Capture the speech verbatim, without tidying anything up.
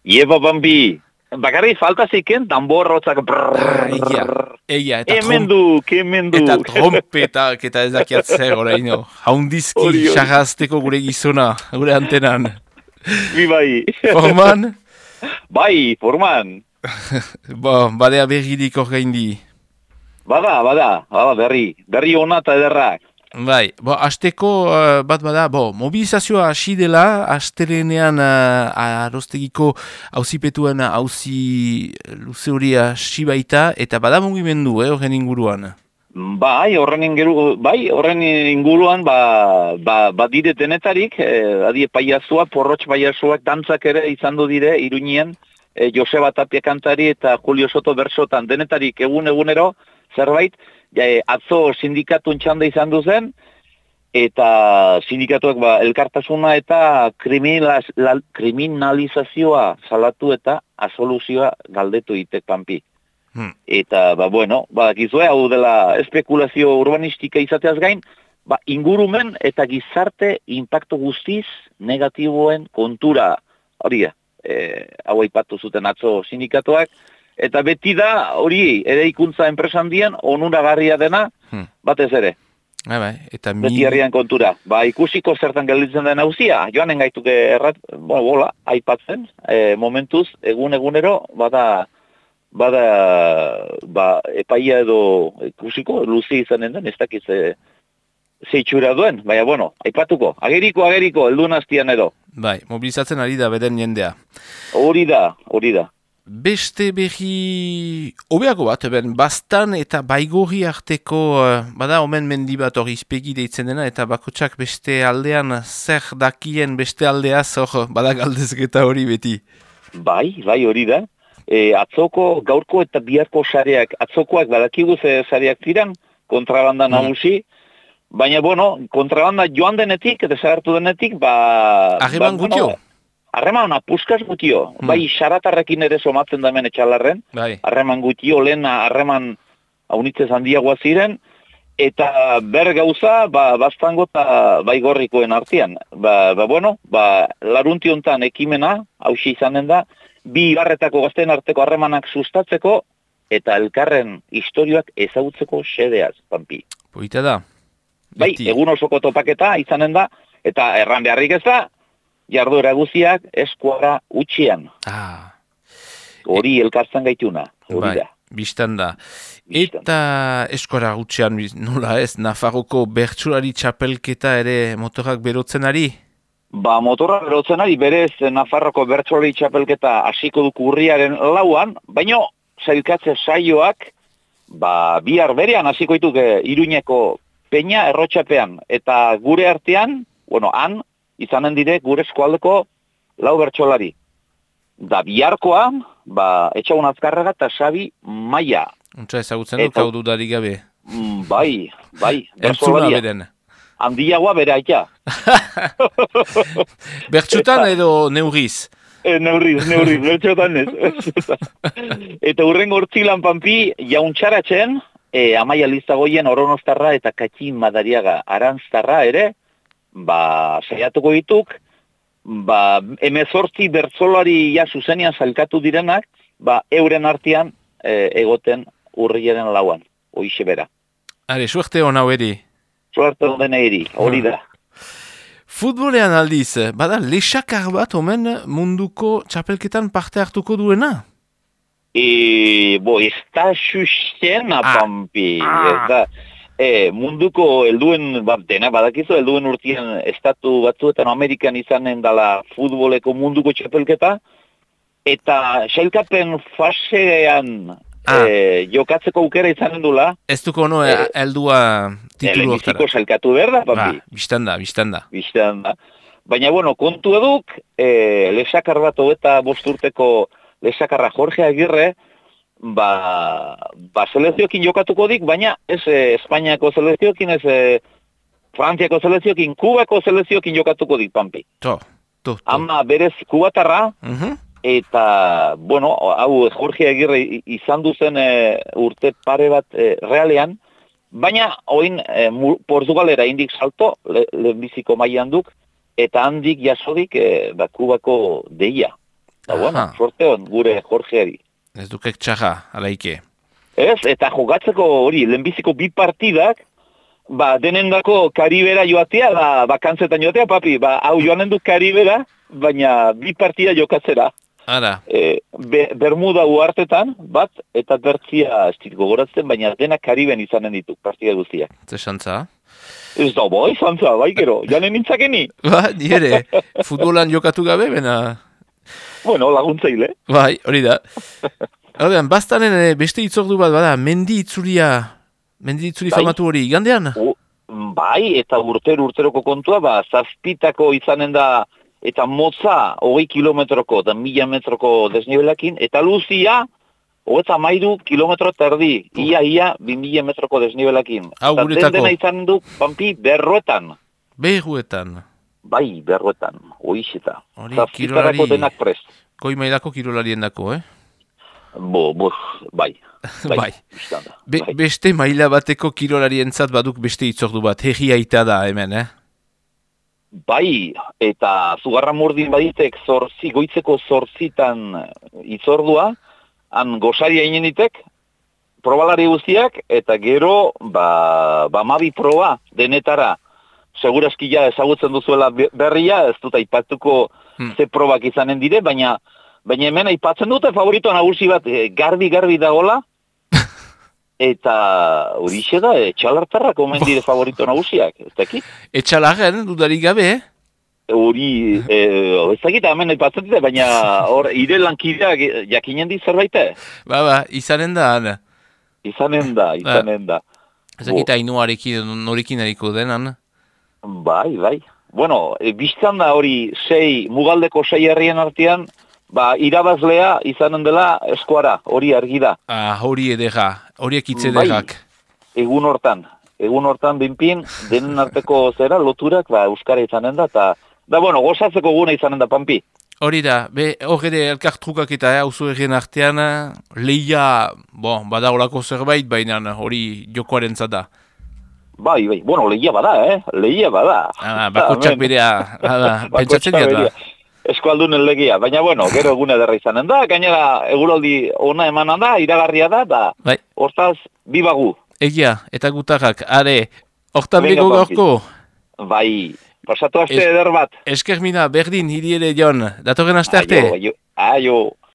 Ieba Bambi, bakarri falta ziken, tambor-rotzak Ah, egia, egia, eta Emenduk, emenduk. Eta trompetak, eta ez dakiat zer, oraino. Haundizki, Hori, hori. xarrazteko gure gizona, gure antenan. Bi bai. Forman? Bai, forman. Bo, badea berridik orgaindi. Bada, bada, bada, berri. Berri ona eta ederrak. Bai, bo, asteko uh, bat bada, bo, mobilizazioa hasi dela, astelenean uh, arostegiko auzipetuen auzi luze hori hasi baita, eta bada mugimendu, eh, horren inguruan. Bai, horren ingeru, bai, horren inguruan, ba, ba, badire denetarik, eh, adie paiazua, porrotx paiazuak dantzak ere izan du dire, Iruñean, eh, Joseba Tapia kantari eta Julio Soto bersotan, denetarik egun-egunero, zerbait, ja, eh, atzo sindikatun txanda izan du zen, eta sindikatuak ba, elkartasuna eta kriminaliz, la, kriminalizazioa salatu eta asoluzioa galdetu itek panpi. Hmm. Eta, ba, bueno, badakizue, hau dela espekulazio urbanistika izateaz gain, ba, ingurumen eta gizarte impacto guztiz negatiboen kontura, hori da, e, hau aipatu zuten atzo sindikatuak, eta beti da, hori, ere ikuntza enpresan dien, onuragarria dena, hmm. batez ere. Ah, bai, eta mi... Beti herrian kontura. Ba, ikusiko zertan gelditzen den hauzia, joanen gaituke errat, bueno, bola, aipatzen, e, momentuz, egun-egunero, bada... bada ba, epaia edo ikusiko, luzi izanen den, ez dakiz e, zeitxura duen, baina, bueno, aipatuko, ageriko, ageriko, eldun hastian edo. Bai, mobilizatzen ari da beden jendea. Hori da, hori da. Beste berri hobeago bat, ben, Bastan eta Baigorri arteko, bada, omen mendi bat hori izpegi deitzen dena, eta bakotsak beste aldean zer dakien beste aldeaz, hor, bada galdezketa hori beti. Bai, bai, hori da. E, atzoko, gaurko eta biharko sareak, atzokoak badakigu ze sareak ziren, kontrabanda nagusi, mm. baina, bueno, kontrabanda joan denetik, desagertu denetik, ba... Harreman ba, gutio? Bueno, harreman apuskaz gutio, mm. bai, xaratarrekin ere somatzen damen etxalarren, harreman gutio, lehen harreman haunitzez handiagoa ziren, eta ber gauza, ba, Bastango eta Baigorrikoen artean. Ba, ba, bueno, ba, larunti hontan ekimena, hausi izanen da, bi ibarretako gazten arteko harremanak sustatzeko eta elkarren historioak ezagutzeko xedeaz, panpi. Poita da. Bai, egun osoko topaketa izanen da, eta erran beharrik ez da, jarduera guziak eskuara utxian. Ah. Hori e... elkartzen gaituna, hori bai, da. Bistan da. Eta eskuara utxian, nola ez, Nafarroko bertsulari txapelketa ere motorak berotzen ari? Ba, motorra berotzen ari, berez Nafarroko bertsolari txapelketa hasiko duk urriaren lauan, baina zailkatze saioak, ba, bihar berean hasiko dituk Iruñeko peña errotxapean, eta gure artean, bueno, han, izanen dire gure eskualdeko lau bertsolari. Da biharkoan, ba, Etxaun Azkarraga eta Xabi Maia. Untsa ezagutzen dut, hau dudarik gabe. Bai, bai. Entzuna beren. Handiagoa bere aita. Bertxutan edo neurriz? E, neurriz, neurriz, bertxutan ez. Eta hurren gortzilan panpi, jauntxaratzen, e, Amaia Lizagoien Oronostarra eta Katxin Madariaga Aranztarra ere, ba, saiatuko dituk, ba, emezortzi bertzolari ja zuzenian salkatu direnak, ba, euren artean e, egoten urriaren lauan, hoixe bera. Are, suerte hon hau eri? Suerte honen eri, hori da. Futbolean aldiz, bada lexakar bat omen munduko txapelketan parte hartuko duena? E, bo, ez da xuxena, ah. Pampi. Ah. Ez da, e, munduko helduen, ba, dena badakizu, helduen urtean estatu batzuetan Amerikan izanen dala futboleko munduko txapelketa, eta sailkapen fasean ah. e, jokatzeko aukera izanen dula. Ez duko no, e, heldua titulu hortara. Lehenbiziko salkatu behar da, Pampi. Ah, biztanda, biztanda. Biztanda. Baina, bueno, kontu eduk, e, lesakar bat hogeta bosturteko lesakarra Jorge Agirre, ba, ba seleziokin jokatuko dik, baina ez e, Espainiako seleziokin, ez e, Frantziako seleziokin, Kubako seleziokin jokatuko dik, Pampi. To, to, to. Ama berez kubatarra, uh-huh. Eta, bueno, hau Jorge Agirre izan duzen e, urte pare bat e, realean, baina, oin, e, Portugalera indik salto, le, lehenbiziko mailan duk, eta handik jasodik, e, ba, Kubako deia. Eta, bueno, sorte hon, gure Jorgeari. Ez dukek txarra, alaike. Ez, eta jogatzeko hori, lehenbiziko bi partidak, ba, denendako Karibera joatea, ba, bakantzetan joatea, papi, ba, hau joanen du Karibera, baina bi partida jokatzera. Ara. E, be, Bermuda uartetan, bat, eta bertzia estit gogoratzen, baina dena Kariben izanen ditu, partida guztiak. Zesantza? Ez da, bai, zantza, bai, gero, janen nintzakeni. Ba, nire, futbolan jokatu gabe, bena... Bueno, laguntzaile. Bai, hori da. Horrean, bastanen beste itzordu bat, bada, mendi itzulia, mendi itzuli bai. Famatu hori, gandean? O, bai, eta urtero urteroko kontua, ba, zazpitako izanen da, eta motza, hogei kilometroko, eta mila metroko desnibelakin, eta luzia, hogeita mairu kilometro terdi, ia, ia, bi mila metroko desnibelakin. Hau eta guretako. den dena izan du, pampi, berroetan. Berroetan. Bai, berroetan, oixeta. Hori, Zazpitarako denak prest. Koi mailako kirolarien dako, eh? Bo, bo, bai. Bai. bai. Be, bai. Beste maila bateko kirolarien baduk beste itzordu bat, herri aita da hemen, eh? Bai, eta Zugarra Murdin baditek zorzi, goitzeko zorzitan itzordua, han gosaria inenitek, probalari guztiak, eta gero, ba, ba mabi proba denetara. Segurazki ja ezagutzen duzuela berria, ez dut aipatuko hmm. ze probak izanen dire, baina baina hemen aipatzen dute favorito nagusi bat garbi-garbi dagola, eta horixe da, etxalartarrak omen dire favorito nagusiak, ez dakit? Etxalarren, dudarik gabe, eh? Hori, ez dakit hemen aipatzen dute, baina hor, ire lankideak jakinen di zerbaite? Ba, ba, izanen da, ana. Izanen da, izanen da. Ez dakit ainuarekin, norekin eriko denan? Bai, bai. Bueno, e, biztan da hori sei, mugaldeko sei herrien artean, ba, irabazlea izanen dela eskuara, hori argi da. Ah, hori edera, horiek hitz ederrak. Bai, egun hortan, egun hortan binpin, denen arteko zera, loturak, ba, euskara izanen da, eta, da, bueno, gozatzeko guna izanen da, Pampi. Hori da, be, hor ere elkartrukak eta hauzu eh, errien artean, lehia, bon, badaolako zerbait, baina hori jokoaren zada. Bai, bai, bueno, lehia bada, eh? Lehia bada. Ah, bakotxak berea, pentsatzen diat da. Eskualdunen legia, baina bueno, gero egune derra izanen da, gainera eguraldi ona emanan da, iragarria da, da, bai. Hortaz, bibagu. Egia, eta gutarrak, are, hortan bego gaurko? Bai, pasatu aste eder bat. Eskermina, berdin, hiri ere jon, datorren aste arte? Aio, aio.